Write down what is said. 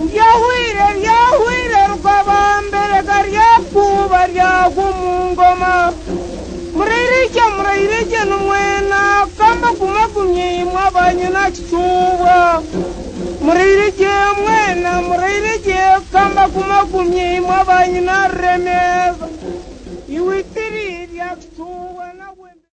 Ryahwire ryahwire rugabamberega ryakuuba ryagwa omu ngoma. Murairye murairye nimwena kamba gumagumye imwe abanyina kicuubwa. Murairye mwena murairye kamba gumagumye imwe abanyina Ruremeeza. Iwe itiri rya kicuubwa nawe.